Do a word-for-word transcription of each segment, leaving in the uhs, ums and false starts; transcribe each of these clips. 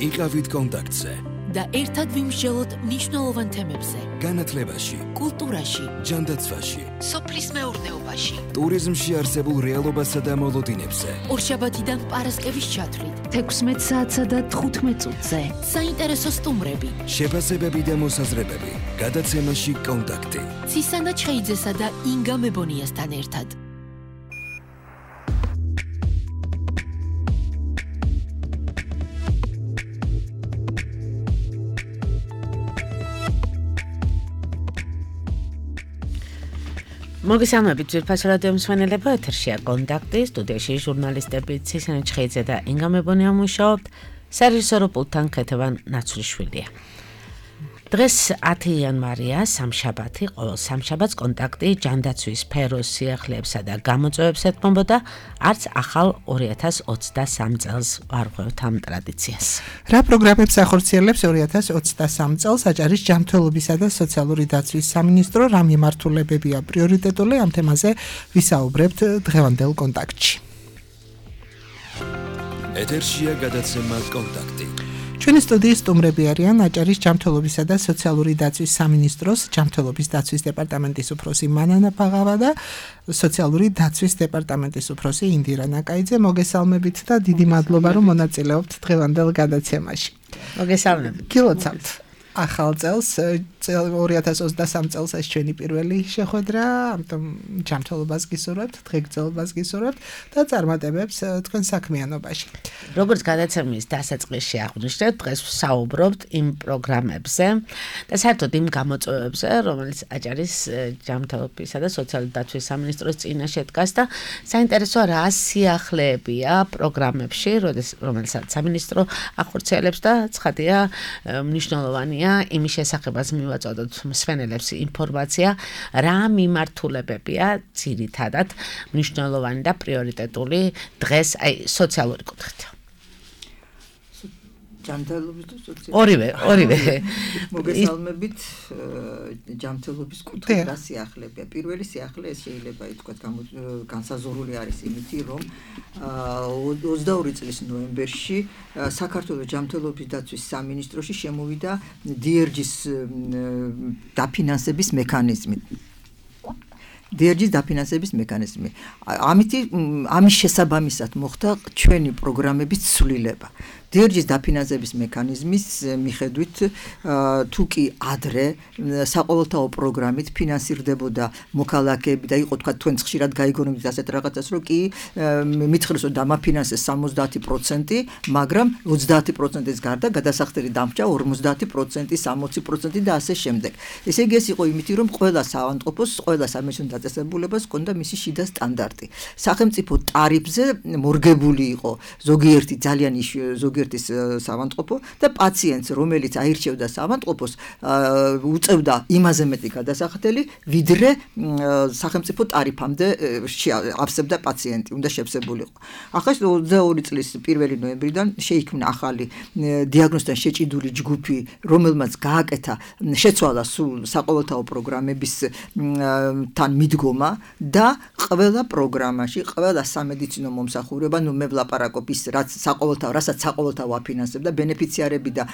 იყავით კონტაქტზე და ერთად ვიმსჯელოთ მნიშვნელოვან თემებზე. განათლებაში, კულტურაში, ჯანდაცვაში, სოფლის მეურნეობაში, ტურიზმში არსებულ რეალობასა და მოლოდინებზე. ორშაბათიდან პარასკევის ჩათვლით, თექვსმეტ საათსა და თხუთმეტ წუთზე. საინტერესო სტუმრები, შეფასებები და მოსაზრებები. გადაცემაში კონტაქტი. ცისანა ჩხეიძესა და ინგა მებონიასთან ერთად. მოგესალმებით ძვირფას რადიო მსმენელებო, ეთერშია კონტაქტი, სტუდიაში ჟურნალისტები ცისანა ჩხეიძე და ინგა მებონია მუშაობთ, სარეჟისორო პულტთან ქეთევან ნაცვლიშვილია. დღეს ათი იანვარია, სამშაბათი, ყოველ სამშაბათს კონტაქტი ჯანდაცვის სფეროს სიახლეებსა და გამოწვევებს ეთმობოდა, არც ახალ ორი ათას ოცდასამ წელს ვარღვევთ ამ ტრადიციას. რა პროგრამებს ახორციელებს ორი ათას ოცდასამ წელს აჭარის ჯანმრთელობისა და სოციალური დაცვის სამინისტრო, რა მიმართულებებია პრიორიტეტული, ამ თემაზე ვისაუბრებთ დღევანდელ კონტაქტში. ეთერშია გადაცემა კონტაქტი. ჩვენი სტუდიის სტუმრები არიან აჭარის ჯანმრთელობისა და სოციალური დაცვის სამინისტროს ჯანმრთელობის დაცვის დეპარტამენტის უფროსი მანანა ფაღავა და სოციალური დაცვის დეპარტამენტის უფროსი ინდირა ნაკაიძე. მოგესალმებით და დიდი მადლობა, რომ მონაწილეობთ დღევანდელ გადაცემაში. მოგესალმებით. გილოცავთ ახალ წელს, ორი ათას ოცდასამ წელს ეს ჩვენი პირველი შეხვედრა, ამიტომ ჯანმრთელობას გისურვებთ, დღეგრძელობას გისურვებთ და წარმატებებს თქვენ საქმიანობაში. როგორც გადაცემის დასაწყისში აღვნიშნეთ, დღეს ვსაუბრობთ იმ პროგრამებზე და საერთოდ იმ გამოწვევებზე, რომელიც აჭარის ჯანმრთელობისა და სოციალური დაცვის სამინისტროს წინაშე დგას და საინტერესოა რა სიახლეებია პროგრამებში, რომელსაც სამინისტრო ახორციელებს და ცხადია მნიშვნელოვანია იმის შესახებაც მივაწოდოთ მსმენელებს ინფორმაცია, რა მიმართულებებია ძირითადად მნიშვნელოვანი და პრიორიტეტული დღეს აი სოციალური კუთხით. ჯანმრთელობის და სოციალური ორივე, ორივე. მოგესალმებით ჯანმრთელობის კუთხით რა სიახლეებია. პირველი სიახლე ეს შეიძლება ითქვათ განსაზღვრული არის იმითი, რომ ოცდაორი წლის ნოემბერში საქართველოს ჯანმრთელობის დაცვის სამინისტროში შემოვიდა დი ერ ჯის დაფინანსების მექანიზმი. დი ერ ჯის დაფინანსების მექანიზმი. ამით ამის შესაბამისად მოხდა ჩვენი პროგრამების ცვლილება. დი ერ ჯის დაფინანსების მექანიზმის მიხედვით თუ კი ადრე საყოველთაო პროგრამით ფინანსირდებოდა მოქალაქეები და იყო თქვა თქვენ ხშირად გაიგონებთ ასეთ რაღაცას, რომ კი მითხრეს რომ დამაფინანსეს სამოცდაათი პროცენტი, მაგრამ ოცდაათი პროცენტის გარდა გადასახდელი დამრჩა ორმოცდაათი პროცენტი, სამოცი პროცენტი და ასე შემდეგ. ესე იგი ეს იყო იმითი, რომ ყველა საავადმყოფოს, ყველა სამინისტრო დაწესებულებას ჰქონდა მისი შიდა სტანდარტი. სახელმწიფო ტარიფზე მორგებული იყო ზოგიერთი ძალიან ზოგიერთი ერთის საავადმყოფო და პაციენტს, რომელიც აირჩევდა საავადმყოფოს, უწევდა იმაზე მეტი გადასახდელი, ვიდრე სახელმწიფო ტარიფამდე ავსებდა პაციენტი, უნდა შევსებულიყო. ახლა ოცდაორი წლის პირველი ნოემბრიდან შეიქმნა ახალი დიაგნოზთან შეჭიდული ჯგუფი, რომელმაც გააკეთა, შეცვალა სულ საყოველთაო პროგრამების თან მიდგომა და ყველა პროგრამაში, ყველა სამედიცინო მომსახურება, ნუ მე ვლაპარაკობ ის, რაც საყოველთაო, რასაც საყოველთაო აფინანსებდა, ბენეფიციარები და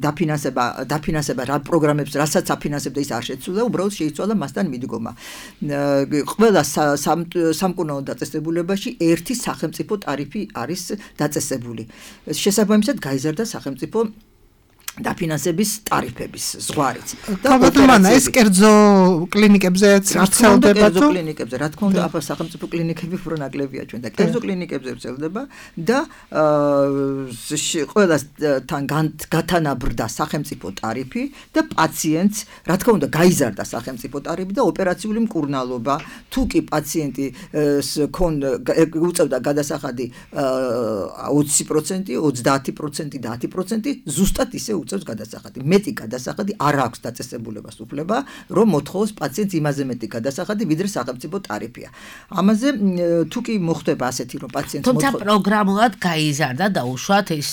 დაფინანსება, დაფინანსება რა პროგრამებს, რასაც აფინანსებდა ის არ შეცვლა, უბრალოდ შეიცვალა მასთან მიდგომა. ყველა სამკურნალო დაწესებულებაში ერთი სახელმწიფო ტარიფი არის დაწესებული. შესაბამისად გაიზარდა სახელმწიფო დაფინანსების ტარიფების ზღვარიც. და ეს კერძო კლინიკებზეც ვრცელდება თუ? კერძო კლინიკებზე, რა თქმა უნდა, ახლა სახელმწიფო კლინიკები უფრო ნაკლებია ჩვენ და კერძო კლინიკებზე ვრცელდება და ყველასთან გათანაბრდა სახელმწიფო ტარიფი და პაციენტს, რა თქმა უნდა, გაიზარდა სახელმწიფო ტარიფი და ოპერაციული მკურნალობა, თუ კი პაციენტი უწევდა გადასახადი ოცი პროცენტი, ოცდაათი პროცენტი და ათი პროცენტი, ზუსტად ისე უწევს გადასახადი. მეტი გადასახადი არ აქვს დაწესებულებას უფლება, რომ მოთხოვოს პაციენტს იმაზე მეტი გადასახადი, ვიდრე სახელმწიფო ტარიფია. ამაზე თუ კი მოხდება ასეთი, რომ პაციენტს თუმცა პროგრამულად გაიზარდა და უშუალოდ ის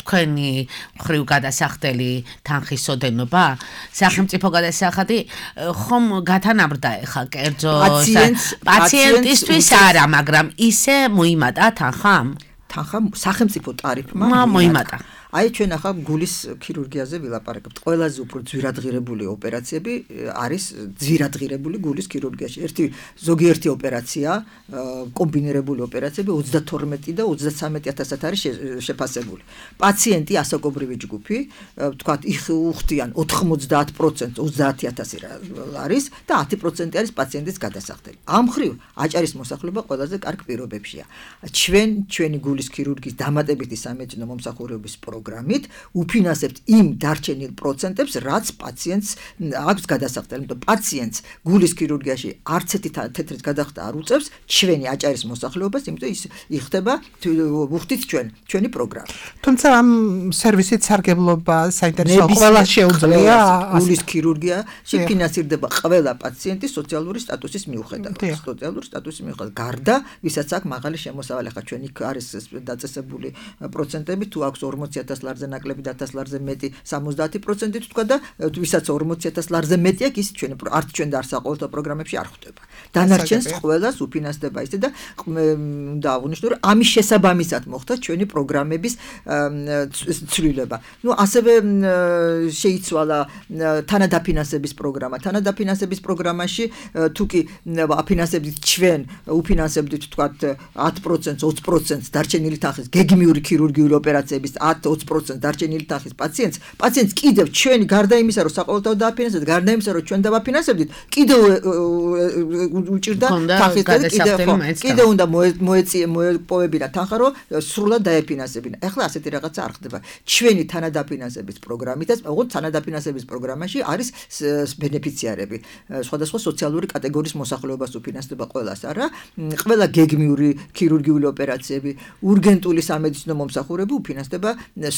თქვენი მხრივ გადასახდელი თანხის ოდენობა, სახელმწიფო გადასახადი ხომ გათანაბრდა ეხა კერძო პაციენტისთვის არა, მაგრამ ისე მოიმატა თანხა? თანხა სახელმწიფო ტარიფმა მოიმატა. აი ჩვენ ახლა გულის ქირურგიაზე ვილაპარაკებთ. ყველაზე უფრო ძვირადღირებული ოპერაციები არის ძვირადღირებული გულის ქირურგიაში. ერთი ზოგიერთი ოპერაცია, კომბინირებული ოცდათორმეტი და ოცდათვრამეტი ათასად არის შეფასებული. პაციენტი ასაკობრივი ჯგუფი, ვთქვათ, უხდიან ოთხმოცდაათ პროცენტს ოცდაათი ათასი არის და ათი პროცენტი არის პაციენტის გადასახდელი. ამ მხრივ აჭარის მოსახლეობა ყველაზე კარგ პირობებშია. ჩვენ ჩვენი გულის ქირურგიის დამატებითი სამედიცინო მომსახურების პროგრამით უფინანსებთ იმ დარჩენილ პროცენტებს, რაც პაციენტს აქვს გადასახდელი. იმიტომ პაციენტს გულის ქირურგიაში არც ერთი თეთრით გადახდა არ უწევს ჩვენი აჭარის მოსახლეობას, იმიტომ ის იხდება უხდით ჩვენ ჩვენი პროგრამა. თუმცა ამ სერვისით სარგებლობა საინტერესო ყველა შეუძლია გულის ქირურგიაში ფინანსირდება ყველა პაციენტი სოციალური სტატუსის მიუხედავად. სოციალური სტატუსის მიუხედავად გარდა ვისაც აქვს მაღალი შემოსავალი. ახლა ჩვენი არის დაწესებული პროცენტები, თუ აქვს ორმოცი ათას ლარზე ნაკლები და ათას ლარზე მეტი სამოცდაათი პროცენტი თქვა და ვისაც ორმოცი ათას ლარზე მეტი აქვს, ის ჩვენ არც ჩვენ და არც საყოველთაო პროგრამებში არ ხვდება. დანარჩენს ყველას უფინანსდება ისე და უნდა აღვნიშნო, რომ ამის შესაბამისად მოხდა ჩვენი პროგრამების ცვლილება. ნუ ასევე შეიცვალა თანადაფინანსების პროგრამა. თანადაფინანსების პროგრამაში თუ კი აფინანსებდით ჩვენ, უფინანსებდით თქვათ ათ პროცენტს, ოცი პროცენტს დარჩენილი თანხის გეგმიური ქირურგიული ოპერაციების ათ ოცი პროცენტს დარჩენილი თანხის პაციენტს, პაციენტს კიდევ ჩვენი გარდა იმისა, რომ საყოველთაო დააფინანსებდით, გარდა იმისა, რომ ჩვენ დავაფინანსებდით, კიდევ უჭირდა თანხის და კიდევ კიდევ უნდა მოეწია მოეპოვებინა თანხა, რომ სრულად დაეფინანსებინა. ეხლა ასეთი რაღაცა არ ხდება. ჩვენი თანადაფინანსების პროგრამითაც, ოღონდ თანადაფინანსების პროგრამაში არის ბენეფიციარები. სხვადასხვა სოციალური კატეგორიის მოსახლეობას უფინანსდება ყველას, არა? ყველა გეგმიური ქირურგიული ოპერაციები, ურგენტული სამედიცინო მომსახურება უფინანსდება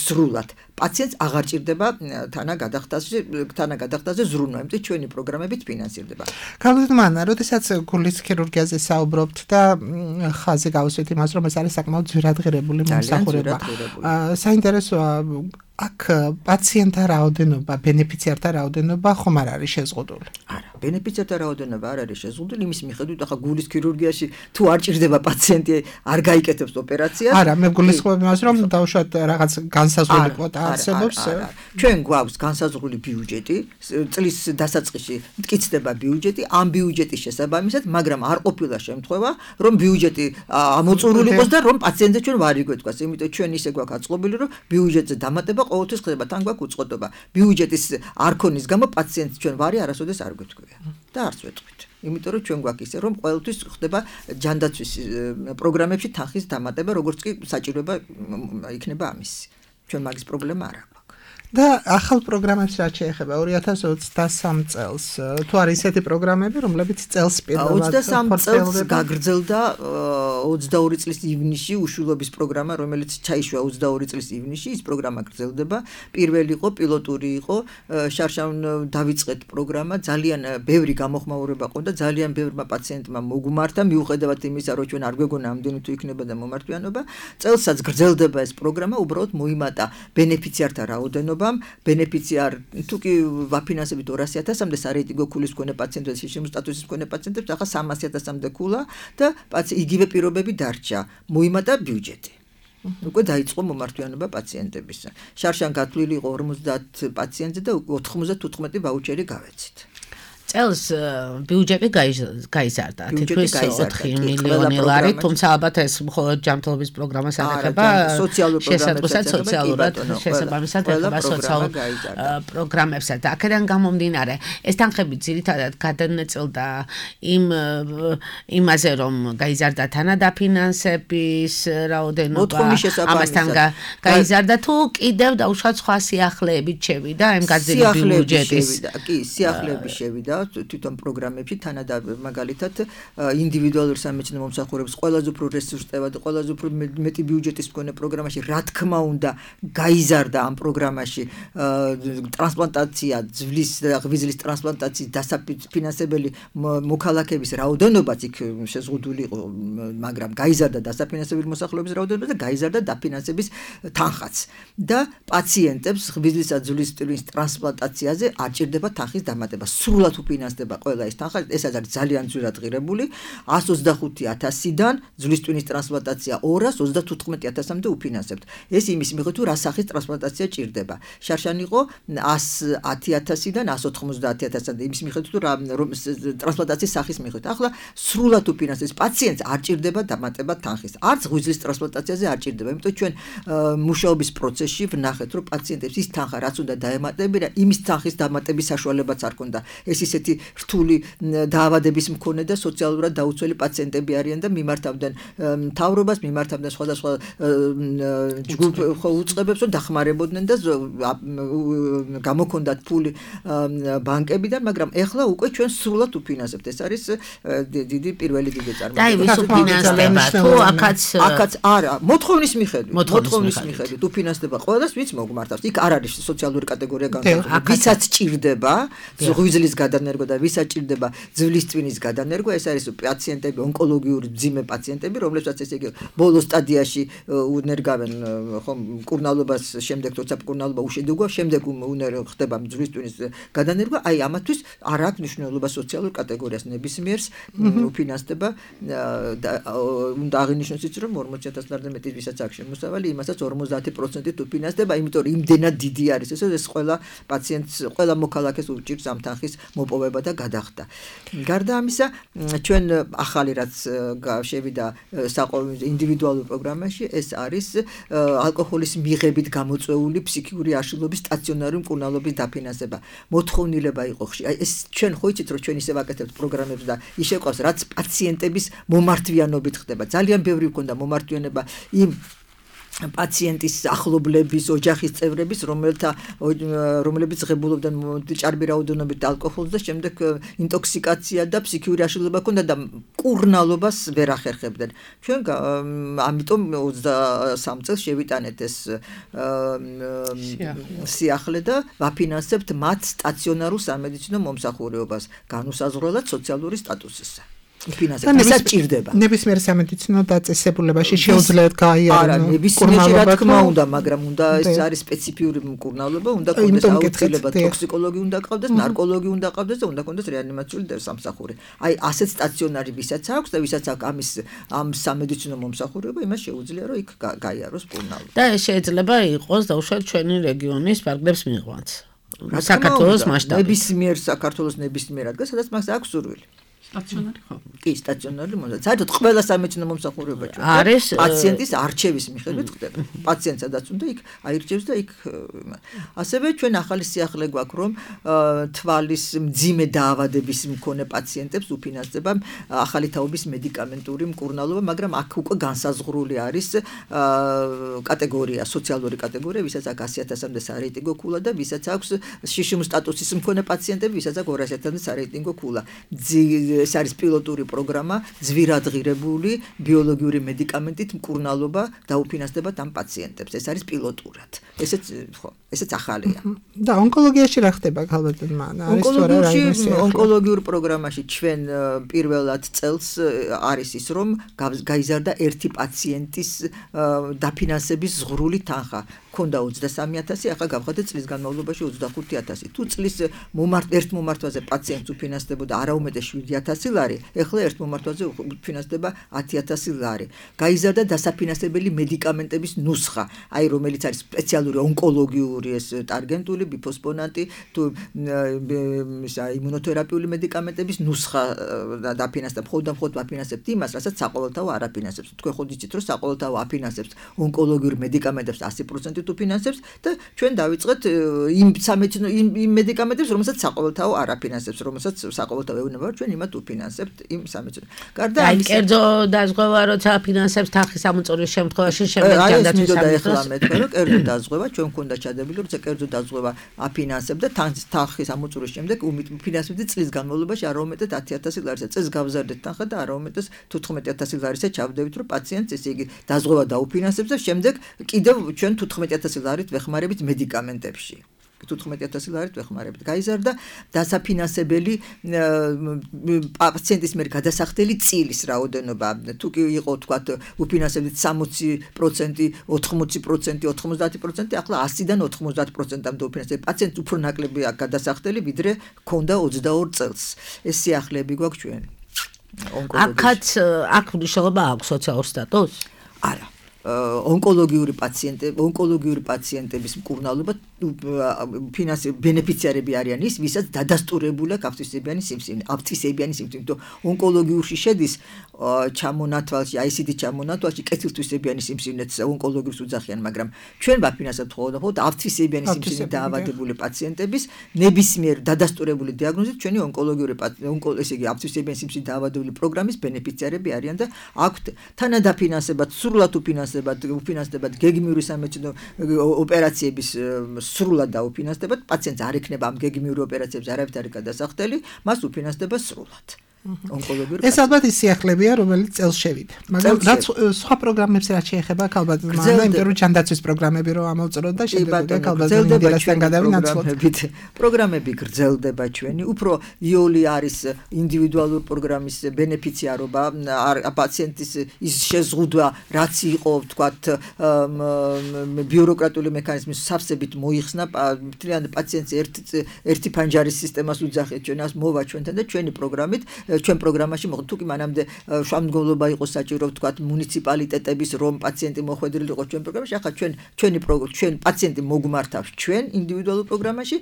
სრულად. პაციენტს აღარ ჭირდება თანაგადახდაზე თანაგადახდაზე ზრუნვა, იმიტომ ჩვენი პროგრამებით ფინანსირდება. გალუდმანა, როდესაც გულის ქირურგიაზე საუბრობთ და ხაზი გავუსვით იმას, რომ ეს არის საკმაოდ ძვირადღირებული მომსახურება. საინტერესოა აქ პაციენტთა რაოდენობა, ბენეფიციართა რაოდენობა ხომ არ არის შეზღუდული? არა, ბენეფიციართა რაოდენობა არ არის შეზღუდული, იმის მიხედვით, ახლა გულის ქირურგიაში თუ არ ჭირდება პაციენტი, არ გაიკეთებს ოპერაციას. არა, მე გულისხმობ იმას, რომ დაუშვათ რაღაც განსაზღვრული კვოტა არსებობს. ჩვენ გვაქვს განსაზღვრული ბიუჯეტი, წლის დასაწყისში მტკიცდება ბიუჯეტი, ამ ბიუჯეტის შესაბამისად, მაგრამ არ ყოფილა შემთხვევა, რომ ბიუჯეტი ამოწურული იყოს და რომ პაციენტზე ჩვენ ვარ იგვეთქვას, იმიტომ ჩვენ ისე გვაქვს აწყობილი, რომ ბიუჯეტზე დამატება ყოველთვის ხდება, თან გვაქვს უწყοτობა. ბიუჯეტის არ ქონის გამო პაციენტს ჩვენ ვარი არასოდეს არ გვეთქვია და არც ვეთქვით. იმიტომ რომ ჩვენ გვაქვს ისე, რომ ყოველთვის ხდება ჯანდაცვის პროგრამებში თანხის დამატება, როგორც კი საჭიროება იქნება ამის. ჩვენ მაგის პრობლემა არ აქვს. და ახალ პროგრამებს რაც შეეხება ორი ათას ოცდასამ წელს, თუ არის ესეთი პროგრამები, რომლებიც წელს პირველად ოცდასამ წელს გაგრძელდა ოცდაორი წლის ივნისში უშვილობის პროგრამა, რომელიც ჩაიშვა ოცდაორი წლის ივნისში, ის პროგრამა გრძელდება. პირველი იყო პილოტური იყო, შარშან დავიწყეთ პროგრამა, ძალიან ბევრი გამოხმაურება ყო და ძალიან ბევრმა პაციენტმა მოგუმართა, მიუხედავად იმისა, რომ ჩვენ არ გვეგონა ამდენი თუ იქნება და მომართვიანობა. წელსაც გრძელდება ეს პროგრამა, უბრალოდ მოიმატა ბენეფიციართა რაოდენობა. ბენეფიციარ თუ კი ვაფინანსებით ორასი ათასამდე სარეიტინგო ქულის მქონე პაციენტებს, შიშიმ სტატუსის მქონე პაციენტებს, ახლა სამასი ათასამდე ქულა და იგივე პირობები დარჩა. მოიმატა ბიუჯეტი. უკვე დაიწყო მომართვიანობა პაციენტებისა. შარშან გათვლილი იყო ორმოცდაათ პაციენტზე და ოთხმოცდათოთხმეტი ვაუჩერი გავეცით. წელს ბიუჯეტი გაიზარდა, თითქმის ოთხი მილიონი ლარი, თუმცა ალბათ ეს მხოლოდ ჯანმრთელობის პროგრამას ეხება, შესაძლოა სოციალურად შესაბამისად ეხება სოციალურ პროგრამებსაც. და აქედან გამომდინარე, ეს თანხები ძირითადად გადანაწილდა იმ იმაზე, რომ გაიზარდა თანადაფინანსების რაოდენობა, ამასთან გაიზარდა თუ კიდევ დაუშვათ სხვა სიახლეებით შევიდა იმ გაზრდილი ბიუჯეტის. კი, სიახლეები შევიდა თვითონ პროგრამებში თანადა მაგალითად ინდივიდუალური სამედიცინო მომსახურების ყველაზე უფრო რესურს წევა და ყველაზე უფრო მეტი ბიუჯეტის მქონე პროგრამაში რა თქმა უნდა გაიზარდა ამ პროგრამაში ტრანსპლანტაცია, ძვლის და ღვიძლის ტრანსპლანტაციის დასაფინანსებელი მოქალაქეების რაოდენობაც იქ შეზღუდული იყო, მაგრამ გაიზარდა დასაფინანსებელი მოსახლეობის რაოდენობა და გაიზარდა დაფინანსების თანხაც და პაციენტებს ღვიძლისა და ძვლის ტრანსპლანტაციაზე არ ჭირდება თანხის დამატება. სრულად უფინანსდება ყველა ეს თანხა, ეს არის ძალიან ძვირად ღირებული, εκατს ოცდახუთი ათასიდან ძვლის ტვინის ტრანსპლანტაცია ორას ოცდათოთხმეტი ათასამდე უფინანსებთ. ეს იმის მიხედვით, თუ რა სახის ტრანსპლანტაცია ჭირდება. შარშან იყო εκατს ათი ათასიდან εκατს ოთხმოცდაათი ათასამდე იმის მიხედვით, თუ რა ტრანსპლანტაციის სახის მიხედვით. ახლა სრულად უფინანსებს პაციენტს არ ჭირდება დამატება თანხის. არც ღვიძლის ტრანსპლანტაციაზე არ ჭირდება. იმიტომ ჩვენ მუშაობის პროცესში ვნახეთ, რომ პაციენტებს ის თანხა რაც უნდა დაემატებინა, იმის თანხის დამატების საშუალებაც არ ქონდა. ეს ისეთი რთული დაავადების მქონე და სოციალურად დაუცველი პაციენტები არიან და მიმართავდნენ მთავრობას, მიმართავდნენ სხვადასხვა ჯგუფ უწყებებს, რომ დახმარებოდნენ და გამოქონდათ ფული ბანკებიდან, მაგრამ ეხლა უკვე ჩვენ სრულად უფინანსებთ. ეს არის დიდი პირველი დიდი წარმოება. და იმის უფინანსდება თუ აქაც აქაც არა, მოთხოვნის მიხედვით, მოთხოვნის მიხედვით უფინანსდება ყველას, ვინც მოგმართავს. იქ არ არის სოციალური კატეგორია განსაზღვრული. ვისაც ჭირდება ღვიძლის გადანერგვა და ვისაც ჭირდება ძვლის ტვინის გადანერგვა, ეს არის პაციენტები, ონკოლოგიური მძიმე პაციენტები, რომლებსაც ესე იგი ბოლო სტადიაში უნერგავენ ხომ მკურნალობას, შემდეგ თორსა მკურნალობა უშედეგოა, შემდეგ ხდება ძვლის ტვინის გადანერგვა, აი ამათთვის არ აქვს მნიშვნელობა სოციალურ კატეგორიას ნებისმიერს უფინანსდება და უნდა აღინიშნოს ის, რომ ორმოცი ათას ლარზე მეტი ვისაც აქვს შემოსავალი, იმასაც ორმოცდაათი პროცენტით უფინანსდება, იმიტომ რომ იმდენად დიდი არის ეს, ეს ყველა პაციენტს, ყველა მოქალაქეს უჭირს ამ თანხის მოპოვება და გადახდა. გარდა ამისა, ჩვენ ახალი რაც შევიდა საყოველთაო ინდივიდუალურ პროგრამაში, ეს არის ალკოჰოლის მიღებით გამოწვეული ფსიქიკური აშლილობის სტაციონარული მკურნალობის დაფინანსება. მოთხოვნილება იყო ხშირი. აი ეს ჩვენ ხო იცით, რომ ჩვენ ისე ვაკეთებთ პროგრამებს და ის შეყავს, რაც პაციენტების მომართვიანობით ხდება. ძალიან ბევრი მქონდა მომართვიანება იმ პაციენტის ახლობლების, ოჯახის წევრების, რომელთა რომლებიც ღებულობდნენ ჭარბი რაოდენობით ალკოჰოლს და შემდეგ ინტოქსიკაცია და ფსიქიური აშლილობა ჰქონდა და მკურნალობას ვერ ახერხებდნენ. ჩვენ ამიტომ ოცდასამ წელს შევიტანეთ ეს სიახლე და ვაფინანსებთ მათ სტაციონარულ სამედიცინო მომსახურებას, განუსაზღვრელად სოციალური სტატუსისა. ვისაც ჭირდება. ნებისმიერ სამედიცინო დაწესებულებაში შეუძლიათ გაიარონ. არა, ნებისმიერ რა თქმა უნდა, მაგრამ უნდა ეს არის სპეციფიური მკურნალობა, უნდა კონდეს აუცილებლად ტოქსიკოლოგი უნდა ყავდეს, ნარკოლოგი უნდა ყავდეს და უნდა კონდეს რეანიმაციული სამსახური. აი, ასეთ სტაციონარი ვისაც აქვს და ვისაც აქვს ამის ამ სამედიცინო მომსახურება, იმას შეუძლია რომ იქ გაიაროს მკურნალობა. და ეს შეიძლება იყოს დაუშვათ ჩვენი რეგიონის პარკლებს მიღვანც. საქართველოს მასშტაბით. ნებისმიერ საქართველოს ნებისმიერ ადგილას, სადაც მას აქვს სურვილი. სტაციონარი ხო? კი, სტაციონარი მომსახურება. საერთოდ ყველა სამედიცინო მომსახურება ჩვენ არის პაციენტის არჩევის მიხედვით ხდება. პაციენტ სადაც უნდა იქ აირჩევს და იქ ასევე ჩვენ ახალი სიახლე გვაქვს, რომ თვალის მძიმე დაავადების მქონე პაციენტებს უფინანსდება ახალი თაობის მედიკამენტური მკურნალობა, მაგრამ აქ უკვე განსაზღვრული არის კატეგორია, სოციალური კატეგორია, ვისაც აქვს ასი ათასამდე სარეიტინგო ქულა და ვისაც აქვს შიშიმ სტატუსის მქონე პაციენტები, ვისაც აქვს ორასი ათასამდე სარეიტინგო ქულა. ეს არის პილოტური პროგრამა, ძვირად ღირებული ბიოლოგიური მედიკამენტით მკურნალობა დაუფინანსდებათ ამ პაციენტებს. ეს არის პილოტურად. ესეც ხო, ესეც ახალია. და ონკოლოგიაში რა ხდება ქალბატონმა? არის თუ არა რაიმე ონკოლოგიურ პროგრამაში ჩვენ პირველად წელს არის ის, რომ გაიზარდა ერთი პაციენტის დაფინანსების ზღვრული თანხა. ქონდა ოცდასამი ათასი, ახლა გავხადეთ წლის განმავლობაში ოცდახუთი ათასი. თუ წლის მომართ ერთ მომართვაზე პაციენტს უფინანსდებოდა არაუმეტეს შვიდი ათასი ლარი, ეხლა ერთ მომართვაზე უფინანსდება ათი ათასი ლარი. გაიზარდა დასაფინანსებელი მედიკამენტების ნუსხა, აი რომელიც არის სპეციალური ონკოლოგიური ეს ტარგენტული, ბიფოსფონატი, თუ იმუნოთერაპიული მედიკამენტების ნუსხა დაფინანსდება. მხოლოდ და მხოლოდ ვაფინანსებთ იმას, რასაც საყოველთაო არ აფინანსებს. თქვენ ხომ იცით, რომ საყოველთაო აფინანსებს ონკოლოგიურ მედიკამენტებს ასი პროცენტით უფინანსებს და ჩვენ დავიწყეთ იმ სამედიცინო იმ მედიკამენტებს, რომელსაც საყოველთაო არ აფინანსებს, რომელსაც საყოველთაო ეუბნება, ჩვენ იმათ უფინანსებთ იმ სამედიცინო. გარდა ამისა, კერძო დაზღვევა, როცა აფინანსებს თანხის ამოწურვის შემთხვევაში შემდეგ ჯანდაცვის სამინისტროს მეთქე, რომ კერძო დაზღვევა ჩვენ მქონდა ჩადებული, როცა კერძო დაზღვევა აფინანსებდა თანხის ამოწურვის შემდეგ უფინანსებდი წლის განმავლობაში არაუმეტად ათი ათასი ლარისა. წელს გავზარდეთ თანხა და არაუმეტად თოთხმეტი ათასი ლარისა ჩავდებით, რომ პაციენტს ესე იგი დაზღვევა დაუფინანსებს და შემდეგ კიდევ ჩვენ თოთხმეტი ათასი ლარით ვეხმარებით მედიკამენტებში. ութმეტი ათასი ლარით ვეხმარებთ. გაიზარდა დასაფინანსებელი პაციენტის მიერ გადასახდელი წილის რაოდენობა. თუ კი იყო თქვათ უფინანსებით სამოცი პროცენტი, ოთხმოცი პროცენტი, ოთხმოცდაათი პროცენტი, ახლა ასიდან ოთხმოცდაათ პროცენტამდე უფინანსებით. პაციენტს უფრო ნაკლები აქვს გადასახდელი, ვიდრე ქონდა ოცდაორ წელს. ეს სიახლეები გვაქვს ჩვენ. აქაც აქ მნიშვნელობა აქვს სოციალურ სტატუსს? არა. ონკოლოგიური პაციენტები, ონკოლოგიური პაციენტების მკურნალობა ფინანსი ბენეფიციარები არიან ის, ვისაც დადასტურებული აქვს ავტისებიანი სიმსივნე, ავტისებიანი სიმსივნე. თუ ონკოლოგიურში შედის ჩამონათვალში, აი ესეთი ჩამონათვალში კეთილთვისებიანი სიმსივნეც ონკოლოგიურს უძახიან, მაგრამ ჩვენ ვაფინანსებთ მხოლოდ ავტისებიანი სიმსივნე დაავადებული პაციენტების ნებისმიერ დადასტურებული დიაგნოზით ჩვენი ონკოლოგიური ესე იგი ავტისებიანი სიმსივნე დაავადებული პროგრამის ბენეფიციარები არიან და აქვთ თანადაფინანსებად, სრულად უფინანსებად, უფინანსდებათ გეგმიური სამედიცინო ოპერაციების სრულად დაუფინანსდებათ, პაციენტს არ ექნება ამ გეგმიური ოპერაციების არავითარი არ გადასახდელი, მას უფინანსდება სრულად. ეს ალბათ ის სიახლებია, რომელიც წელს შევიდა. მაგრამ რაც სხვა პროგრამებს რაც შეეხება ალბათ მანდა იმიტომ რომ ჯანდაცვის პროგრამები რო ამოვწროთ და შემდეგ ალბათ ინდივიდუალისთან გადავინაცვლოთ. პროგრამები გრძელდება ჩვენი, უფრო იოლი არის ინდივიდუალურ პროგრამის ბენეფიციარობა, პაციენტის ის შეზღუდვა, რაც იყო, ვთქვათ, ბიუროკრატიული მექანიზმის სავსებით მოიხსნა, მთლიანი პაციენტს ერთ ერთი ფანჯარის სისტემას უძახეთ ჩვენ, ას მოვა ჩვენთან და ჩვენი პროგრამით ჩვენ პროგრამაში მოხდა თუ კი მანამდე შუამდგომლობა იყო საჭირო ვთქვათ მუნიციპალიტეტების რომ პაციენტი მოხვედრილი იყო ჩვენ პროგრამაში ახლა ჩვენ ჩვენი ჩვენ პაციენტი მოგმართავს ჩვენ ინდივიდუალურ პროგრამაში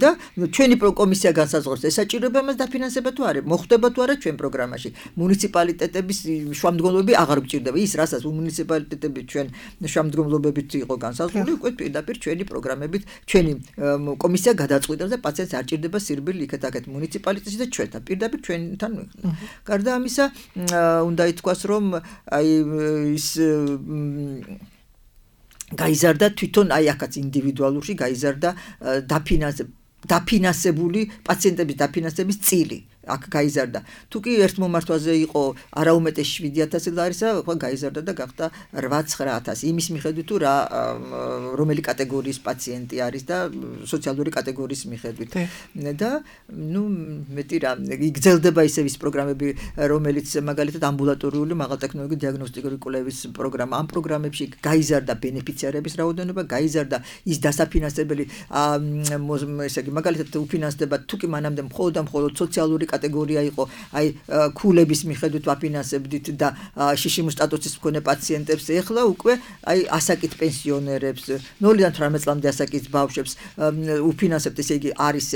და ჩვენი კომისია განსაზღვრავს ეს საჭიროება მას დაფინანსება თუ არა მოხდება თუ არა ჩვენ პროგრამაში მუნიციპალიტეტების შუამდგომლობები აღარ გჭირდება ის რასაც მუნიციპალიტეტები ჩვენ შუამდგომლობებით იყო განსაზღვრული უკვე პირდაპირ ჩვენი პროგრამებით ჩვენი კომისია გადაწყვეტავს და პაციენტს არ ჭირდება სირბილი იქეთ-აქეთ მუნიციპალიტეტში და ჩვენთან პირდაპირ ჩვენთან გარდა ამისა უნდა ითქვას რომ აი ის გაიზარდა თვითონ აი აქაც ინდივიდუალურში გაიზარდა დაფინანსებული პაციენტების დაფინანსების წილი აქ გაიზარდა თუ კი ერთ მომართვაზე იყო არაუმეტეს შვიდი ათასი ლარისა ხო გაიზარდა და გახდა რვა ცხრა ათასი იმის მიხედვით თუ რა რომელი კატეგორიის პაციენტი არის და სოციალური კატეგორიის მიხედვით და ნუ მეტი რა იგრძელდება ისევ ის პროგრამები რომელიც მაგალითად ამბულატორიული მაღალტექნოლოგიური დიაგნოსტიკური კვლევის პროგრამა ამ პროგრამებში გაიზარდა ბენეფიციარების რაოდენობა გაიზარდა ის დასაფინანსებელი ესე იგი მაგალითად უფინანსდება თუ კი მანამდე მხოლოდ და მხოლოდ სოციალური კატეგორია იყო აი ქულების მიხედვით ვაფინანსებდით და შიშიმის სტატუსის მქონე პაციენტებს ეხლა უკვე აი ასაკით პენსიონერებს ნულიდან თვრამეტ წლამდე ასაკის ბავშვებს უფინანსებთ ესე იგი არის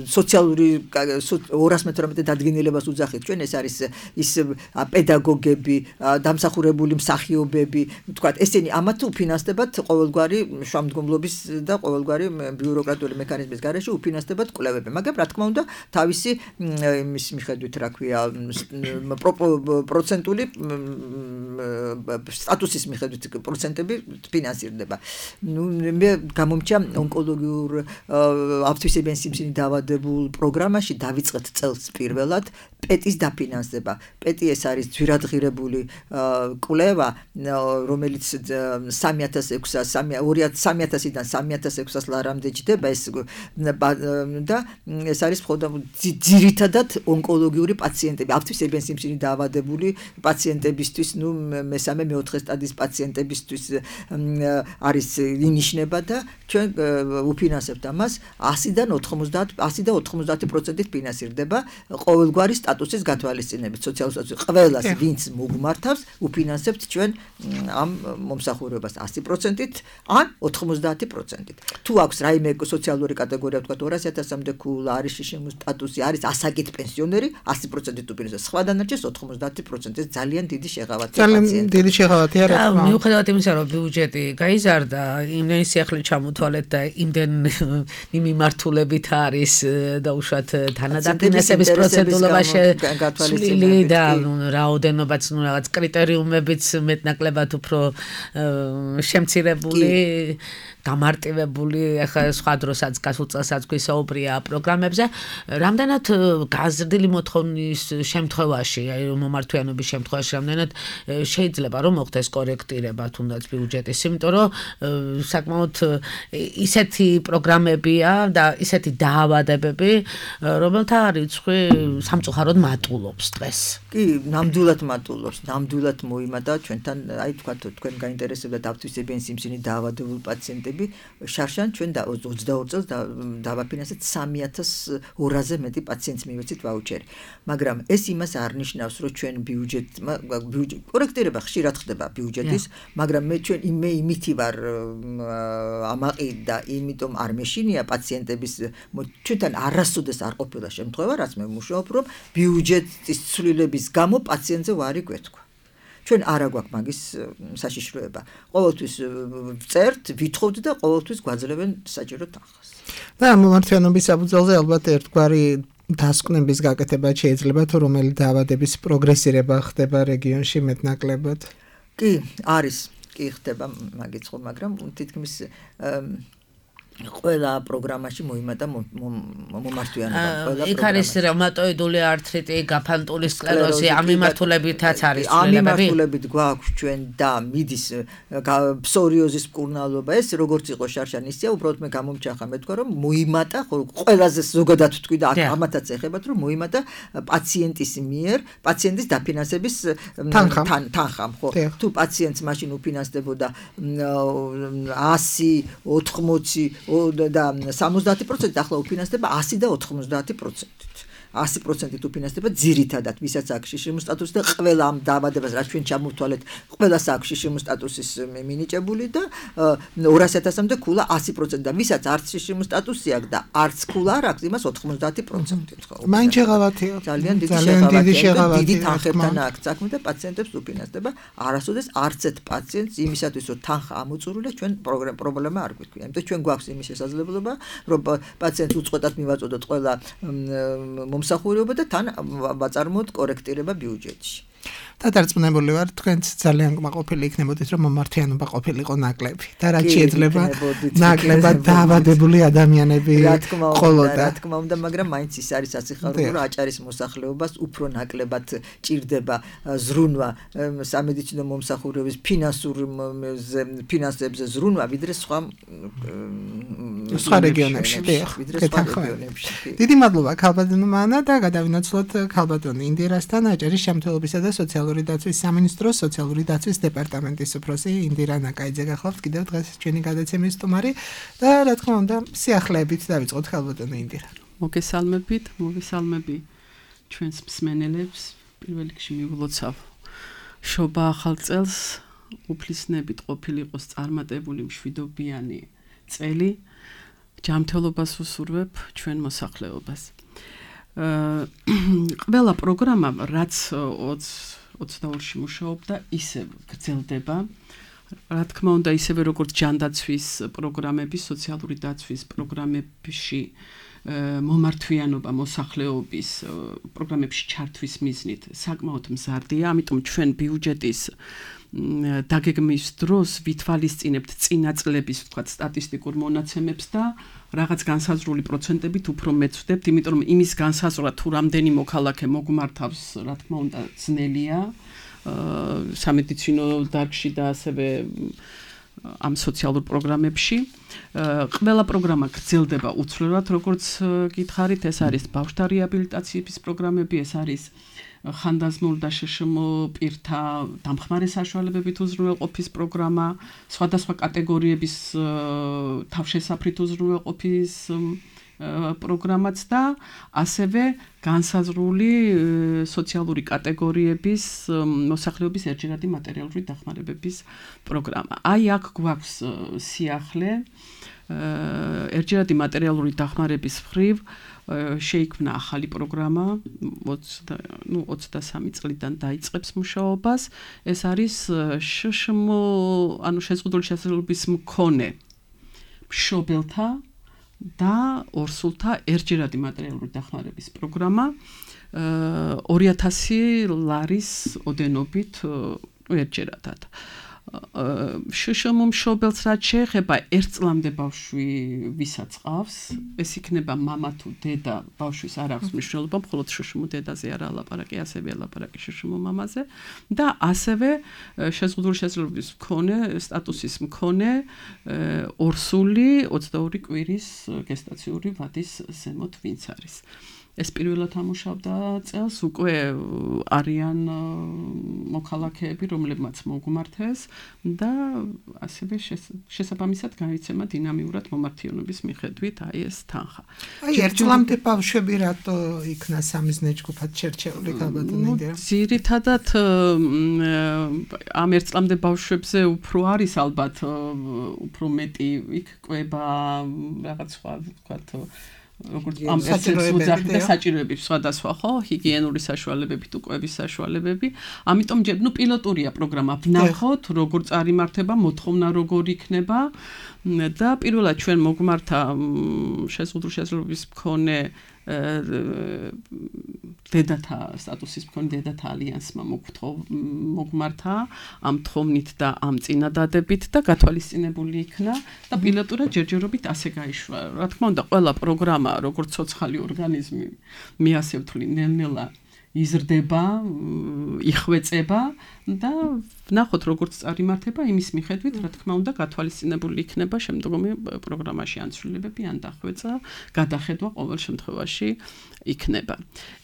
სოციალური ორას მეთორმეტე დადგენილებას უძახით ჩვენ ეს არის ის პედაგოგები დამსახურებული მსახიობები ვთქვათ ესენი ამათ უფინანსდებათ ყოველგვარი შუამდგომლობის და ყოველგვარი ბიუროკრატიული მექანიზმის გარეშე უფინანსდებათ კვლევები მაგრამ რა თქმა უნდა თავისი იმის მიხედვით რა ქვია პროცენტული სტატუსის მიხედვით პროცენტები ფინანსირდება. ნუ მე გამომჩა ონკოლოგიურ ავტისებიანი სიმსივნის დაავადებულ პროგრამაში დავიწყეთ წელს პირველად პეტის დაფინანსება. პეტი ეს არის ძვირადღირებული კვლევა, რომელიც სამი ათას სამი ათასიდან სამი ათას ექვსას ლარამდე ჯდება ეს და ეს არის მხოლოდ ძირითადად ონკოლოგიური პაციენტები, ავტისებიანი სიმსივნის დაავადებული პაციენტებისთვის, ნუ მესამე მეოთხე სტადიის პაციენტებისთვის არის ინიშნება და ჩვენ უფინანსებთ ამას ასიდან ოთხმოცდაათ ასი და ოთხმოცდაათი პროცენტით ფინანსირდება ყოველგვარი სტატუსის გათვალისწინებით, სოციალური სტატუსის ყველას, ვინც მოგმართავს, უფინანსებთ ჩვენ ამ მომსახურებას ასი პროცენტით ან ოთხმოცდაათი პროცენტით. თუ აქვს რაიმე სოციალური კატეგორია, ვთქვათ ორასი ათასამდე ქულა, არის შიშიმის სტატუსი, არის ასაკით პენსიონერი, ასი პროცენტით უფინანსებს. სხვა დანარჩენს ოთხმოცდაათი პროცენტით ძალიან დიდი შეღავათია პაციენტებს. ძალიან დიდი შეღავათია რა. მიუხედავად იმისა, რომ ბიუჯეტი გაიზარდა, იმდენი სიახლე ჩამოთვალეთ და იმდენი მიმართულებით არის და უშუალოდ თანადაფინანსების პროცედურა გათვალისწინებული და რაოდენობაც ნუ რაღაც კრიტერიუმებიც მეტნაკლებად უფრო შემცირებული გამარტივებული ახლა სხვა დროსაც გასულ წელსაც გვისაუბრია პროგრამებზე რამდენად გაზრდილი მოთხოვნის შემთხვევაში აი მომართვიანობის შემთხვევაში რამდენად შეიძლება რომ მოხდეს კორექტირება თუნდაც ბიუჯეტის იმიტომ რომ საკმაოდ ისეთი პროგრამებია და ისეთი დაავადებები რომელთა რიცხვი სამწუხაროდ მატულობს დღეს კი ნამდვილად მატულობს ნამდვილად მოიმატა ჩვენთან აი თქვა თქვენ გაინტერესებდა დავთვისებიან სიმსივნით დაავადებულ პაციენტები შარშან ჩვენ ოცდაორ წელს დავაფინანსეთ სამი ათას ორაზე მეტი პაციენტს მივეცით ვაუჩერი მაგრამ ეს იმას არ ნიშნავს რომ ჩვენ ბიუჯეტმა კორექტირება ხშირად ხდება ბიუჯეტის მაგრამ მე ჩვენ მე იმითი ვარ ამაყი და იმიტომ არ მეშინია პაციენტების ჩვენთან არასოდეს არ ყოფილა შემთხვევა რაც მე ვმუშაობ რომ ბიუჯეტის ცვლილების გამო პაციენტზე ვარი გვეთქვა ჩვენ არა გვაქვს მაგის საშიშროება ყოველთვის წერთ ვითხოვთ და ყოველთვის გვაძლევენ საჯარო თანხას და მომართვიანობის საფუძველზე ალბათ ერთგვარი დასკვნების გაკეთება შეიძლება თუ რომელი დაავადების პროგრესირება ხდება რეგიონში მეტნაკლებად კი არის კი ხდება მაგიც ხო მაგრამ თითქმის ყველა პროგრამაში მოიმატა მომართვიანობა ყველა იქ არის რევმატოიდული ართრიტი, გაფანტული სკლეროზი, ამ მიმართულებითაც არის ცვლილებები. ამ მიმართულებით გვაქვს ჩვენ და მიდის ფსორიოზის მკურნალობა ეს როგორც იყო შარშან ისეა უბრალოდ მე გამომჩახა მე თქვა რომ მოიმატა ყველაზე ზოგადად ვთქვი და ამათაც ეხებათ რომ მოიმატა პაციენტის მიერ პაციენტის დაფინანსების თანხამ ხო თუ პაციენტს მაშინ უფინანსდებოდა ასი ოთხმოცი და სამოცდაათი პროცენტი ახლა უფინანსდება ასი და ოთხმოცდაათი პროცენტით ასი პროცენტით უფინანსდება ძირითადად ვისაც აქვს შიშიმ სტატუსი და ყველა ამ დაავადებას რაც ჩვენ ჩამოვთვალეთ ყველას აქვს შიშიმ სტატუსის მინიჭებული და ორასი ათასამდე ქულა ასი პროცენტი და ვისაც არც შიშიმ სტატუსი აქვს და არც ქულა არ აქვს იმას ოთხმოცდაათი პროცენტით ხო მაინც შეღავათია ძალიან დიდი შეღავათია დიდი თანხებთან აქვს საქმე და პაციენტებს უფინანსდება არასოდეს არც ერთ პაციენტს იმისათვის რომ თანხა ამოწურვილა ჩვენ პრობლემა არ გვიქვია იმიტომ ჩვენ გვაქვს იმის შესაძლებლობა რომ პაციენტს უწყვეტად მივაწოდოთ ყველა მომსახურება და თან ვაწარმოოთ კორექტირება ბიუჯეტში. დადარწმუნებული ვარ თქვენც ძალიან კმაყოფილი იქნებოდით რომ მომართვიანობა ყოფილიყო ნაკლები და რაც შეიძლება ნაკლებად დაავადებული ადამიანები ყოლოდა რა თქმა უნდა მაგრამ მაინც ის არის საციხარო რომ აჭარის მოსახლეობას უფრო ნაკლებად ჭირდება ზრუნვა სამედიცინო მომსახურების ფინანსურ ფინანსებზე ზრუნვა ვიდრე სხვა სხვა რეგიონებში დიდი მადლობა ქალბატონო მანა და გადავინაცვლოთ ქალბატონი ინდირასთან აჭარის შემთხვევებისა და სოციალური დაცვის სამინისტროს სოციალური დაცვის დეპარტამენტის უფროსი ინდირა ნაკაიძე გახლავთ კიდევ დღეს ჩვენი გადაცემის სტუმარი და რა თქმა უნდა სიახლეებით დავიწყოთ ქალბატონო ინდირა. მოგესალმებით, მოგესალმები ჩვენს მსმენელებს. პირველ რიგში მივლოცავ შობა ახალ წელს უფლისნებით ყოფილიყოს წარმატებული მშვიდობიანი წელი. ჯანმრთელობას ვუსურვებ ჩვენ მოსახლეობას. ყველა პროგრამა რაც ოცდაორში მუშაობდა ისე გრძელდება რა თქმა უნდა ისევე როგორც ჯანდაცვის პროგრამები სოციალური დაცვის პროგრამებში მომართვიანობა მოსახლეობის პროგრამებში ჩართვის მიზნით საკმაოდ მზარდია ამიტომ ჩვენ ბიუჯეტის დაგეგმვის დროს ვითვალისწინებთ წინა წლების ვთქვათ სტატისტიკურ მონაცემებს და რაღაც განსაზღვრული პროცენტებით უფრო მეცვდებთ, იმიტომ რომ იმის განსაზღვრა თუ რამდენი მოქალაქე მოგმართავს, რა თქმა უნდა, ძნელია სამედიცინო დარგში და ასევე ამ სოციალურ პროგრამებში. ყველა პროგრამა გრძელდება უცვლელად, როგორც გითხარით, ეს არის ბავშვთა რეაბილიტაციის პროგრამები, ეს არის ხანდაზმულ და შეშმო პირთა დამხმარე საშუალებებით უზრუნველყოფის პროგრამა, სხვადასხვა კატეგორიების თავშესაფრით უზრუნველყოფის პროგრამაც და ასევე განსაზღვრული სოციალური კატეგორიების მოსახლეობის ერთჯერადი მატერიალური დახმარებების პროგრამა. აი აქ გვაქვს სიახლე ერთჯერადი მატერიალური დახმარების მხრივ შეიქმნა ახალი პროგრამა ოცდასამი წლიდან დაიწყებს მუშაობას. ეს არის შშმ ანუ შეზღუდული შესაძლებლობის მქონე მშობელთა და ორსულთა ერთჯერადი მატერიალური დახმარების პროგრამა ორი ათასი ლარის ოდენობით ერთჯერადად. შშმ მშობელს რაც შეეხება ერთ წლამდე ბავშვი ვისაც ყავს, ეს იქნება მამა თუ დედა, ბავშვის არ აქვს მნიშვნელობა, მხოლოდ შშმ დედაზე არა ლაპარაკი, ასევე ლაპარაკი შშმ მამაზე და ასევე შეზღუდული შესაძლებლობის მქონე, სტატუსის მქონე ორსული ოცდაორი კვირის გესტაციური ვადის ზემოთ ვინც არის. ეს პირველად ამუშავდა წელს, უკვე არიან მოქალაქეები, რომლებმაც მოგმართეს და ასევე შესაბამისად განიცემა დინამიურად მომართიანობის მიხედვით აი ეს თანხა. აი ერთ წლამდე ბავშვები რატო იქნა სამიზნე ჯგუფად შერჩეული ქალბატონი? ძირითადად ამ ერთ წლამდე ბავშვებზე უფრო არის ალბათ უფრო μέτი იქ კვება რაღაც სხვა ვთქვათ როგორც ამ საჭიროებები და საჭიროებები სხვადასხვა ხო ჰიგიენური საშუალებები თუ კვების საშუალებები ამიტომ ჯერ ნუ პილოტურია პროგრამა ვნახოთ როგორ წარიმართება მოთხოვნა როგორ იქნება და პირველად ჩვენ მოგმართა შეზღუდული შესაძლებლობის მქონე დედათა სტატუსის მქონე დედათა ალიანსმა მოგმართა ამ თხოვნით და ამ წინადადებით და გათვალისწინებული იქნა და პილოტურად ჯერჯერობით ასე გაიშვა. რა თქმა უნდა, ყველა პროგრამა, როგორც ცოცხალი ორგანიზმი, მე ასე ვთვლი, ნელ-ნელა იზრდება, იხვეწება და ვნახოთ როგორც წარიმართება იმის მიხედვით, რა თქმა უნდა, გათვალისწინებული იქნება შემდგომი პროგრამაში ანცვლილებები, ან დახვეწა, გადახედვა ყოველ შემთხვევაში იქნება.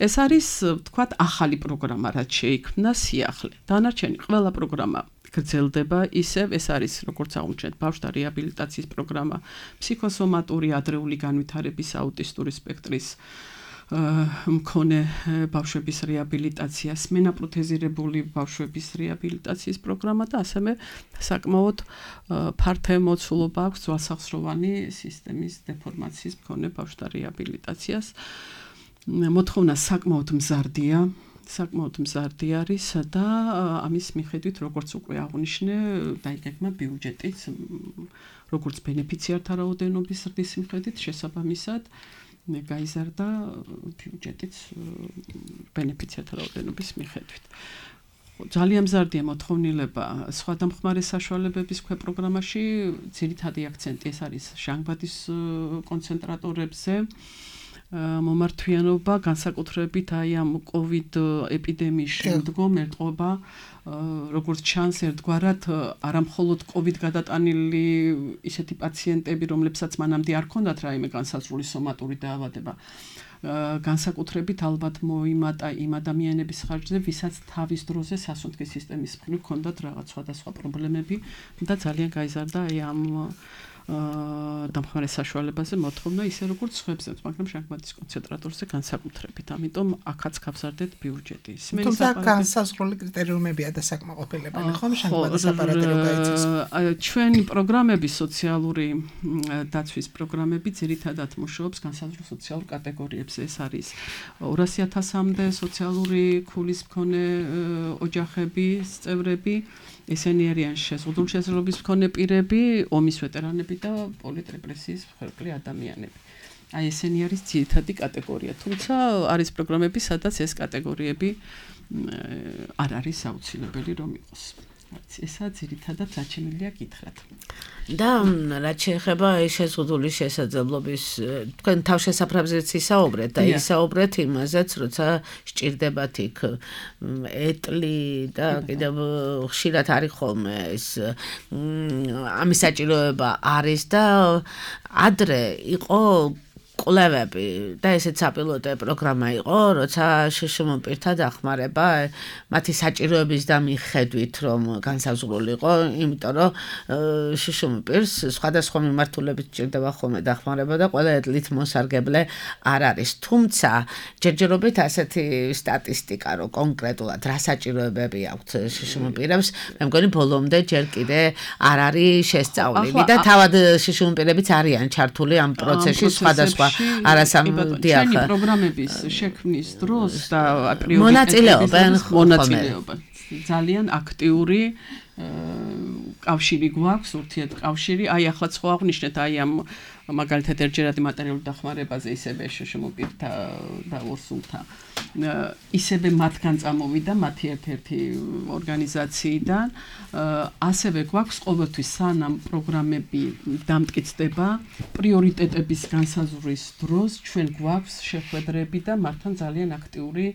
ეს არის, ვთქვათ, ახალი პროგრამა, რაც შეიქმნა სიახლე. დანარჩენი ყველა პროგრამა გრძელდება ისევ, ეს არის როგორც აღმოჩნდეთ, ბავშვთა რეაბილიტაციის პროგრამა, ფსიქოსომატური ადრეული განვითარების აუტისტური სპექტრის მქონე ბავშვების რეაბილიტაციას, მენაპროთეზირებული ბავშვების რეაბილიტაციის პროგრამა და ასევე საკმაოდ ფართო მოცულობა აქვს ძვალსახსროვანი სისტემის დეფორმაციის მქონე ბავშვთა რეაბილიტაციას. მოთხოვნა საკმაოდ მზარდია, საკმაოდ მზარდი არის და ამის მიხედვით, როგორც უკვე აღნიშნე, დაიგეგმა ბიუჯეტიც, როგორც ბენეფიციართა რაოდენობის ზრდის მიხედვით, შესაბამისად გაიზარდა ბიუჯეტიც ბენეფიციართა რაოდენობის მიხედვით. ძალიან მზარდია მოთხოვნილება სხვა დამხმარე საშუალებების ქვე პროგრამაში, ძირითადი აქცენტი ეს არის ჟანგბადის კონცენტრატორებზე. მომართვიანობა განსაკუთრებით აი ამ კოვიდ ეპიდემიის შემდგომ ეტყობა როგორც ჩანს ერთგვარად არამხოლოდ კოვიდ გადატანილი ისეთი პაციენტები, რომლებსაც მანამდე არ ჰქონდათ რაიმე განსაზღვრული სომატური დაავადება, განსაკუთრებით ალბათ მოიმატა იმ ადამიანების ხარჯზე, ვისაც თავის დროზე სასუნთქის სისტემის მხრივ ჰქონდათ რაღაც სხვადასხვა პრობლემები და ძალიან გაიზარდა აი ამ დამხმარე საშუალებაზე მოთხოვნა ისე როგორც სხვებზე, მაგრამ ჟანგბადის კონცენტრატორზე განსაკუთრებით. ამიტომ აქაც გავზარდეთ ბიუჯეტი. თუმცა განსაზღვრული კრიტერიუმებია და საკმაყოფილებელი ხომ ჟანგბადის აპარატი რო გაიცეს. ჩვენი პროგრამები, სოციალური დაცვის პროგრამები ძირითადად მუშაობს განსაზღვრულ სოციალურ კატეგორიებზე. ეს არის ორასი ათასამდე სოციალური ქულის მქონე ოჯახების წევრები, ესენი არიან შეზღუდული შესაძლებლობის მქონე პირები, ომის ვეტერანები და პოლიტრეპრესიის მსხვერპლი ადამიანები. აი ესენი არის ძირითადი კატეგორია. თუმცა არის პროგრამები, სადაც ეს კატეგორიები არ არის აუცილებელი რომ იყოს. ესა ძირითადად რაც შემიძლია გითხრათ. და რაც შეეხება შეზღუდული შესაძლებლობის, თქვენ თავშესაფრებზეც ისაუბრეთ და ისაუბრეთ იმაზეც, როცა სჭირდებათ იქ ეტლი და კიდევ ხშირად არის ხოლმე ეს ამის საჭიროება არის და ადრე იყო კვლევები და ესეც საპილოტო პროგრამა იყო, როცა შშმ პირთა დახმარება მათი საჭიროების და მიხედვით რომ განსაზღვრული იყო, იმიტომ რომ შშმ პირს სხვადასხვა მიმართულებით ჭირდება ხოლმე დახმარება და ყველა ეტლით მოსარგებლე არ არის. თუმცა ჯერჯერობით ასეთი სტატისტიკა, რომ კონკრეტულად რა საჭიროებები აქვთ შშმ პირებს, მე მგონი ბოლომდე ჯერ კიდე არ არის შესწავლილი და თავად შშმ პირებიც არიან ჩართული ამ პროცესში სხვადასხვა არასამდიახ პროგრამების შექმნის დროს და აპრიორი მონაწილეობენ მონაწილეობენ ძალიან აქტიური კავშირი გვაქვს, ურთიერთკავშირი. აი ახლა სხვა აღნიშნეთ აი ამ მაგალითად ერთჯერადი მატერიალური დახმარებაზე ისევე შშმ პირთა და ორსულთა ისევე მათგან წამოვიდა მათი ერთ-ერთი ორგანიზაციიდან. ასევე გვაქვს ყოველთვის სანამ პროგრამები დამტკიცდება, პრიორიტეტების განსაზღვრის დროს ჩვენ გვაქვს შეხვედრები და მათთან ძალიან აქტიური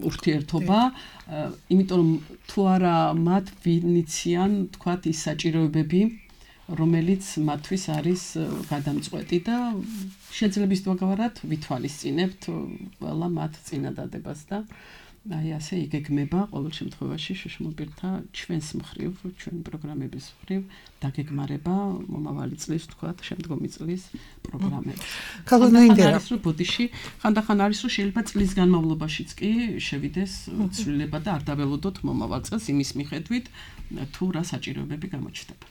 ურთიერთობა, იმიტომ რომ თუ არა მათ ვინიციან, თქვათ, ის საჭიროებები, რომელიც მათთვის არის გადამწყვეტი და შეძლებს თქვათ ვითვალისწინებთ ყველა მათ წინადადებას და აი ასე იგეგმება ყოველ შემთხვევაში შშმობირთა ჩვენს მხრივ, ჩვენი პროგრამების მხრივ დაგეგმარება მომავალი წლის თქვათ შემდგომი წლის პროგრამები. ქალბატონო ინდირა, არის რომ ბოდიში ხანდახან არის რომ შეიძლება წლის განმავლობაშიც კი შევიდეს ცვლილება და არ დაველოდოთ მომავალ წელს იმის მიხედვით თუ რა საჭიროებები გამოჩნდება.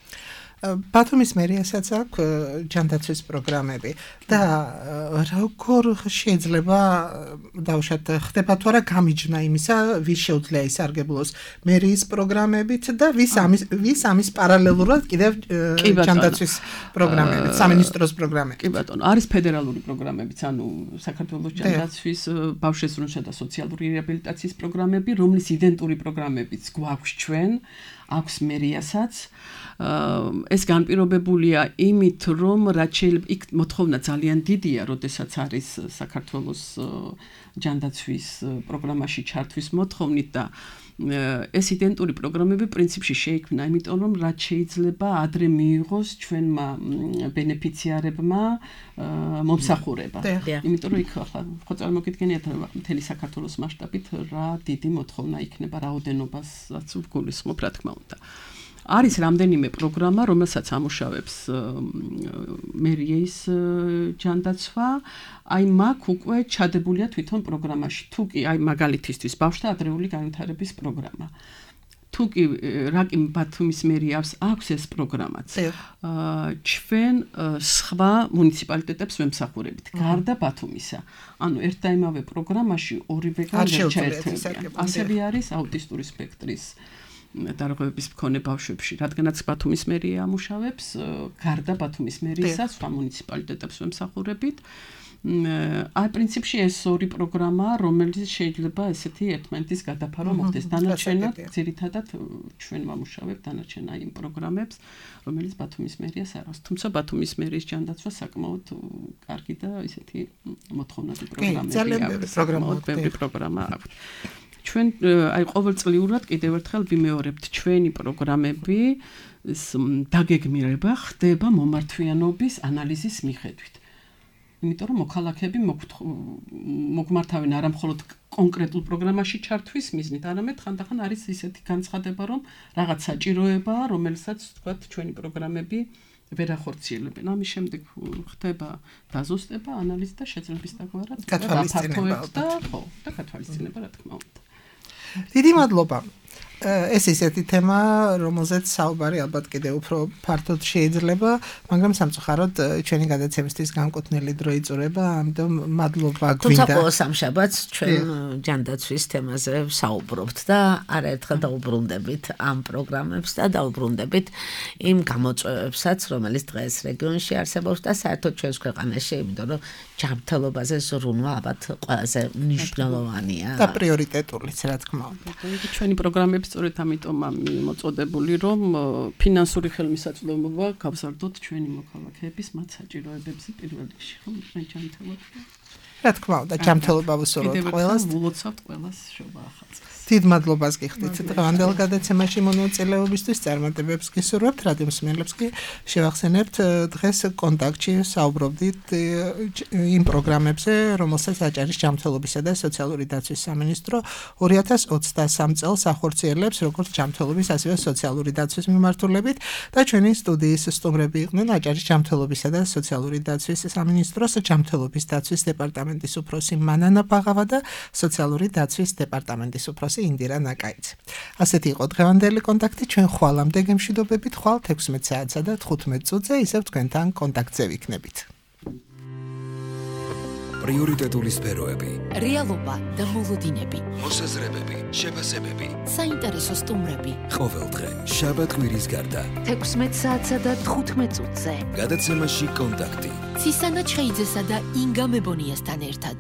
ბათუმის მერიასაც აქვს ჯანდაცვის პროგრამები და როგორ შეიძლება დავუშვათ ხდება თუ არა გამიჯნა იმისა ვის შეუძლია ისარგებლოს მერიის პროგრამებით და ვის ამის ვის ამის პარალელურად კიდევ ჯანდაცვის პროგრამებით სამინისტროს პროგრამებით. კი ბატონო, არის ფედერალური პროგრამებიც, ანუ საქართველოს ჯანდაცვის ბავშვებისა და სოციალური რეაბილიტაციის პროგრამები, რომლის იდენტური პროგრამებიც გვაქვს ჩვენ, აქვს მერიასაც. ეს განპირობებულია იმით, რომ რაც შეიძლება იქ მოთხოვნა ძალიან დიდია, როდესაც არის საქართველოს ჯანდაცვის პროგრამაში ჩართვის მოთხოვნით და ეს იდენტური პროგრამები პრინციპში შეიქმნა, იმიტომ რომ რაც შეიძლება ადრე მიიღოს ჩვენმა ბენეფიციარებმა მომსახურება. იმიტომ რომ იქ ახლა ხო წარმოგიდგენიათ მთელი საქართველოს მასშტაბით რა დიდი მოთხოვნა იქნება, რაოდენობასაც ვგულისხმობ, რა თქმა უნდა. არის რამდენიმე პროგრამა, რომელსაც ამუშავებს მერიის ჯანდაცვა, აი მაგ უკვე ჩადებულია თვითონ პროგრამაში. თუ კი აი მაგალითისთვის ბავშვთა ადრეული განვითარების პროგრამა. თუ კი რაკი ბათუმის მერიას აქვს ეს პროგრამაც. ჩვენ სხვა მუნიციპალიტეტებს ვემსახურებით, გარდა ბათუმისა. ანუ ერთ და იმავე პროგრამაში ორივე განსხვავებია. ასევე არის აუტისტური სპექტრის დარღვევების მქონე ბავშვებში, რადგანაც ბათუმის მერია ამუშავებს, გარდა ბათუმის მერიისა სხვა მუნიციპალიტეტებს ვემსახურებით. აი პრინციპში ეს ორი პროგრამაა, რომელიც შეიძლება ესეთი ერთმანეთის გადაფარო მოხდეს. დანარჩენად ძირითადად ჩვენ ვამუშავებთ დანარჩენ აი იმ პროგრამებს, რომელიც ბათუმის მერიას არ აქვს. თუმცა ბათუმის მერიის ჯანდაცვა საკმაოდ კარგი და ესეთი მოთხოვნადი პროგრამებია. საკმაოდ ბევრი პროგრამა აქვს. ჩვენ აი ყოველწლიურად კიდევ ერთხელ ვიმეორებთ ჩვენი პროგრამები დაგეგმირება ხდება მომართვიანობის ანალიზის მიხედვით. იმიტომ რომ მოქალაქეები მოგმართავენ არა მხოლოდ კონკრეტულ პროგრამაში ჩართვის მიზნით, არამედ ხანდახან არის ისეთი განცხადება, რომ რაღაც საჭიროებაა, რომელსაც თქვათ ჩვენი პროგრამები ვერ ახორციელებენ. ამის შემდეგ ხდება დაზუსტება, ანალიზი და შეძლების დაგვარად გათვალისწინება და ხო, და გათვალისწინება რა თქმა უნდა. დიდი მადლობა. ეს ისეთი თემა, რომელზეც საუბარი ალბათ კიდევ უფრო ფართოდ შეიძლება, მაგრამ სამწუხაროდ ჩვენი გადაცემისთვის განკუთვნილი დრო იწურება, ამიტომ მადლობა გვინდა. თუმცა ყოველ სამშაბათს ჩვენ ჯანდაცვის თემაზე საუბრობთ და არაერთხელ დაუბრუნდებით ამ პროგრამებს და დაუბრუნდებით იმ გამოწვევებსაც, რომელიც დღეს რეგიონში არსებობს და საერთოდ ჩვენს ქვეყანაში, იმიტომ რომ ჯანმრთელობაზე ზრუნვა ალბათ ყველაზე მნიშვნელოვანია და პრიორიტეტულიც, რა თქმა უნდა. ჩვენი პროგრამები სწორედ ამიტომ მოწოდებული, რომ ფინანსური ხელმისაწვდომობა გავზარდოთ ჩვენი მოქალაქეების მათ საჭიროებებზე პირველ რიგში, ხო, ჩვენ ჯანმრთელობა. რა თქმა უნდა, ჯანმრთელობა ვუსურვოთ ყველას. ვილოცავთ ყველას შობა ახალწელს. დიდ მადლობას გიხდით დღევანდელ გადაცემაში მონაწილეობისთვის, წარმატებებს გისურვებთ, რადიო მსმენელებს კი შევახსენებთ დღეს კონტაქტში საუბრობდით იმ პროგრამებზე, რომელსაც აჭარის ჯანმრთელობისა და სოციალური დაცვის სამინისტრო ორი ათას ოცდასამ წელს ახორციელებს როგორც ჯანმრთელობის, ასევე სოციალური დაცვის მიმართულებით და ჩვენი სტუდიის სტუმრები იყვნენ აჭარის ჯანმრთელობისა და სოციალური დაცვის სამინისტროს ჯანმრთელობის დაცვის დეპარტამენტის უფროსი მანანა ბაღავა და სოციალური დაცვის დეპარტამენტის უფროსი ინდირა ნაკაიძე. ასეთი იყო დღევანდელი კონტაქტი, ჩვენ ხვალამდე გემშვიდობებით, ხვალ თექვსმეტ საათსა და თხუთმეტ წუთზე ისევ თქვენთან კონტაქტზე ვიქნებით. პრიორიტეტული სფეროები, რეალობა და მოლოდინები, მოსაზრებები, შეფასებები, საინტერესო სტუმრები. ყოველდღე შაბათ-კვირის გარდა თექვსმეტ საათსა და თხუთმეტ წუთზე. გადაცემაში კონტაქტი. ცისანა ჩხეიძესა და ინგა მებონიასთან ერთად.